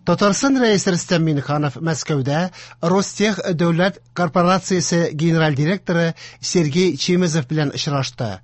Татарстан Рәисе Рөстәм Миңнеханов Мәскәүдә Ростех дәүләт корпорациясе генераль директоры Сергей Чемезов белән очрашты.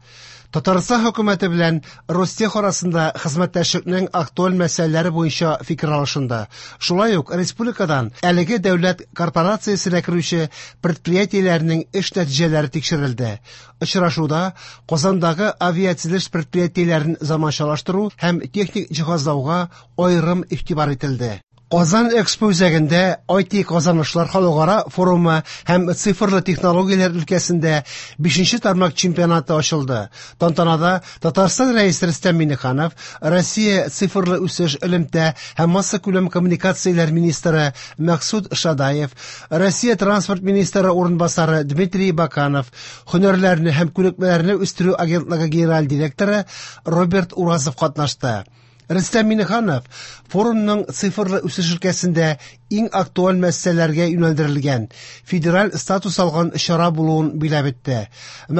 Татарстан хөкүмәте белән Ростех арасында хезмәттәшлекнең актуаль мәсьәләләре буенча фикер алышынды. Шулай ук республикадан әлеге дәүләт корпорациясенә керүче предприятиеләрнең эш нәтиҗәләре тикшерелде. Очрашуда Казандагы авиатөзелеш предприятиеләрен заманчалаштыру һәм техник җиһазлауга аерым игътибар ителде. Казан Экспо үзәгендә IT казанышлар халыкара форумы һәм цифрлы технологияләр өлкәсендә 5нче тармак чемпионаты ачылды. Тантанада Татарстан Рәисе Рөстәм Миңнеханов, Россия цифрлы үсеш, элемтә һәм массакүләм коммуникацияләр министры Максут Шадаев, Россия транспорт министры урынбасары Дмитрий Баканов, һөнәрләрне һәм күнекмәләрне үстерү агентлыгы генераль директоры Роберт Уразов катнашты. Рөстәм Миңнеханов форумның цифрлы үсеш өлкәсендә иң актуаль мәсьәләләргә юнәлдерелгән федераль статус алган чара булуын биләп үтте.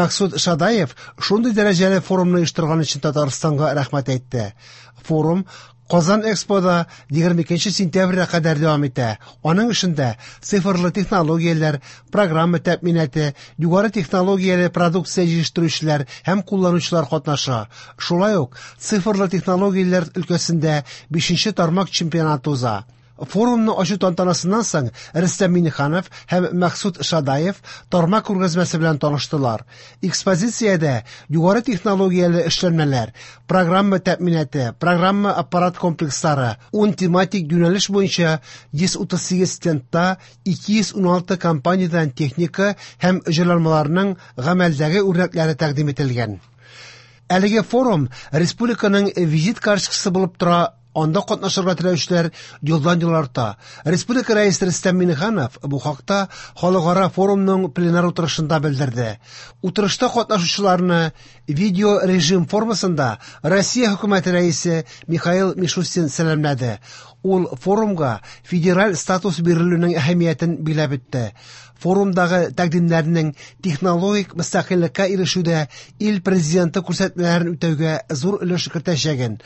Максут Шадаев шундый дәрәҗәле форумны оештырган өчен Татарстанга рәхмәт әйтте. Форум Казан Экспода 22 сентябрьгә кадәр дәвам итә. Аның эшендә цифрлы технологияләр, программа тәэминаты, югары технологияле продукция җитештерүчеләр һәм кулланучылар катнаша. Шулай ук цифрлы технологияләр өлкәсендә 5нче тармак чемпионаты уза. Форумны ачу тантанасыннан соң Рөстәм Миңнеханов һәм Максут Шадаев тармак күргәзмәсе белән таныштылар. Экспозициядә югары технологияле эшләнмәләр, программа тәэминаты, программа аппарат комплекслары, 10 тематик юнәлеш буенча 138 стендта 216 компаниядән техника һәм җайланмаларның гамәлдәге үрнәкләре тәкъдим ителгән. Әлеге форум республиканың визит карточкасы булып тора. Анда катнашырга теләүчеләр елдан-ел арта. Республика Рәисе Рөстәм Миңнеханов бу хакта халыкара форумның пленар утырышында белдерде. Утырышта катнашучыларны видео режим формасында Россия хөкүмәте рәисе Михаил Мишустин сәламләде. Ул форумга федераль статус бирелүнең әһәмиятен биләп үтте. Форумдагы тәкъдимнәрнең технологик мөстәкыйльлеккә ирешүдә ил президенты күрсәтмәләрен үтәүгә зур өлеш кертәчәген,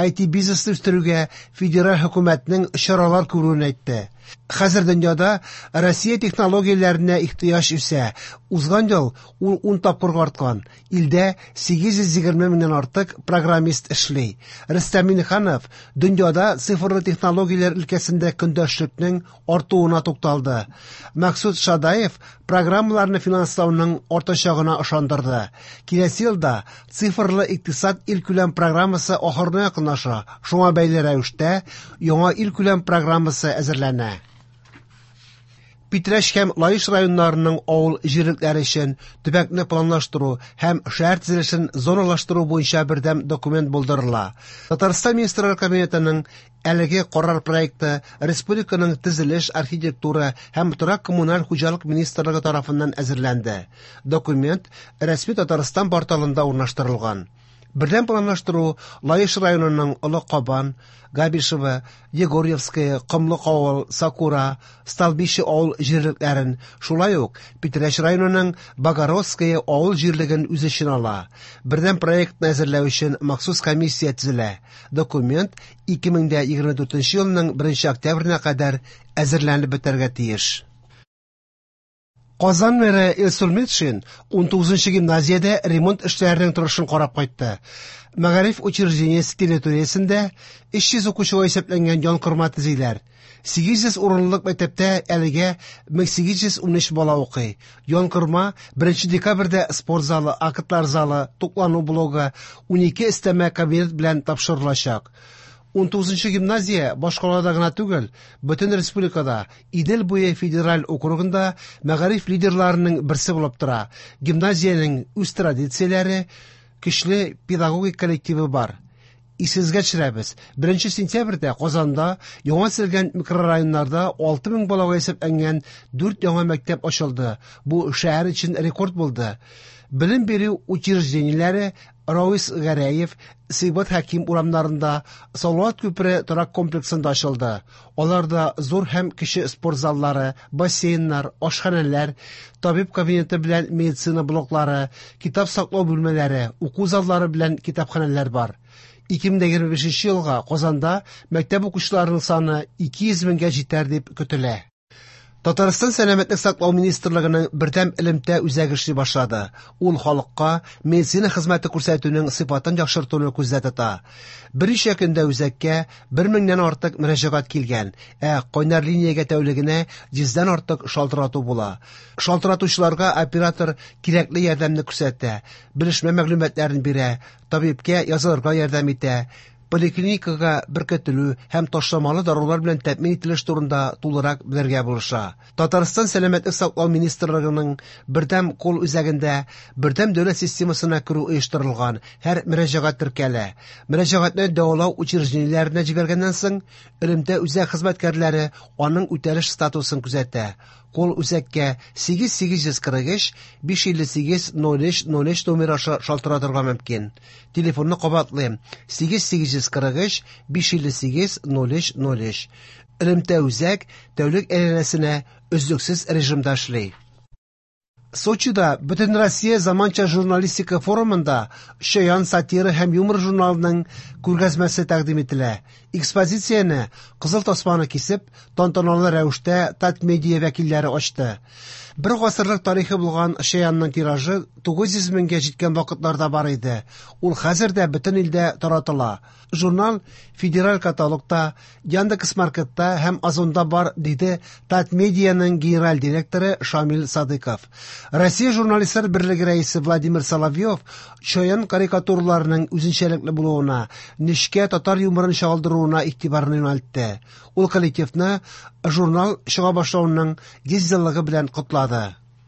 IT бизнесны үстерүгә федераль хөкүмәтнең чаралар күрүен әйтте. Хәзер дөньяда Россия технологияләренә ихтыяҗ үсә. Узган ел ул 10 тапкырга арткан. Илдә 820 меңнән артык программист эшли. Рөстәм Миңнеханов дөньяда цифрлы технологияләр өлкәсендә көндәшлекнең артуына тукталды. Максут Шадаев программаларны финанслауның артачагына ышандырды. Киләсе елда цифрлы икътисад илкүләм программасы ахырына якынлаша. Шуңа бәйле рәвештә яңа илкүләм программасы әзерләнә. Питрәч һәм Лаеш районнарының авыл җирлекләре өчен төбәкне планлаштыру һәм шәһәр төзелешен зоналаштыру буенча бердәм документ булдырыла. Татарстан Министрлар Кабинетының әлеге карар проекты республиканың төзелеш, архитектура һәм торак коммуналь хуҗалык министрлыгы тарафыннан әзерләнде. Документ рәсми Татарстан порталында урнаштырылган. Бердәм планлаштыру Лаеш районының Олы Кабан, Габишево, Егорьевское, Комлык авыл, Сакура, Столбище авыл җирлекләрен, шулай ук Питрәч районының Богородское авыл җирлеген үз эченә ала. Бердәм проектны әзерләү өчен махсус комиссия төзелә. Документ 2024 елның 1 октябренә кадәр әзерләнеп бетәргә тиеш. Казан мэры Илсур Метшин 19 гимназиядә ремонт эшләренең торышын карап кайтты. Мәгариф учреждениесе территориясендә 300 укучыга исәпләнгән янкорма төзиләр. 800 урынлык мәктәптә әлегә 1813 бала укый. Янкорма 1 декабрьдә спорт залы, актлар залы, туклану блогы, 12 өстәмә кабинет белән тапшырылачак. 19 гимназия башкалада гына түгел, бөтен республикада Идел буе федераль округында мәгариф лидерларының берсе булып тора. Гимназиянең үз традицияләре, көчле педагогик коллективы бар. Исегезгә төшерәбез. 1 сентябрьдә Казанда яңа төзелгән микрорайоннарда 6000 балага исәпләнгән 4 яңа мәктәп ачылды. Бу шәһәр өчен рекорд булды. Белем бирү учреждениеләре Рауис Гәрәев, Сибгат Хәким урамнарында, Салават күпере торак комплексында ачылды. Аларда зур һәм кече спорт заллары, бассейннар, ашханәләр, табиб кабинеты белән медицина блоклары, китап саклау бүлмәләре, уку заллары белән китапханәләр бар. 2025 елга Казанда мәктәп укучыларының саны 200 меңгә җитәр дип көтелә. Татарстан Сәламәтлек саклау министрлыгының бердәм элемтә үзәге эшли башлады. Ул халыкка медицина хезмәте күрсәтүнең сыйфатын яхшыртуны күздә тота. Берничә көндә үзәккә 1 меңнән артык мөрәҗәгать килгән, ә кайнар линиягә тәүлегенә 100дән артык шалтырату була. Шалтыратучыларга оператор кирәкле ярдәмне күрсәтә, белешмә мәгълүматларын бирә, табибкә язылырга ярдәм итә, поликлиникага беркетелү һәм ташламалы дарулар белән тәэмин ителеш турында тулырак белергә булыша. Татарстан Сәламәтлек саклау министрлыгының бердәм кол үзәгендә бердәм дәүләт системасына керү оештырылган, һәр мөрәҗәгать теркәлә. Мөрәҗәгатьне дәвалау учреждениеләренә җибәргәннән соң, элемтә үзәк хезмәткәрләре аның үтәлеш статусын күзәтә. Кол үзәккә 8843 558 03 03 номер аша шалтыратырга мөмкин. Телефонны кабатлыйм: 8843 558 03 03. Элемтә үзәк тәүлек әйләнәсенә өзлексез режимда эшли. Сочида Бөтенроссия заманча журналистика форумында Чаян сатира һәм юмор журналының күргәзмәсе тәкъдим ителә. Экспозицияне кызыл тасманы кисеп, тантаналы рәвештә Татмедиа вәкилләре ачты. Бер гасырлык тарихы булган Чаянның тиражы 900 меңгә җиткән вакытларда бар иде. Ул хәзер дә бөтен илдә таратыла. Журнал федераль каталогта, Яндекс Маркетта һәм Озонда бар, диде Татмедианың генераль директоры Шамил Садыков. Россия журналистлар берлеге рәисе Владимир Соловьев Чаян карикатураларының үзенчәлекле булуына, нечкә татар юморын чагылдыруына игътибарны юнәлтте. Ул коллективны журнал чыга башлавының 100 еллыгы белән котлады.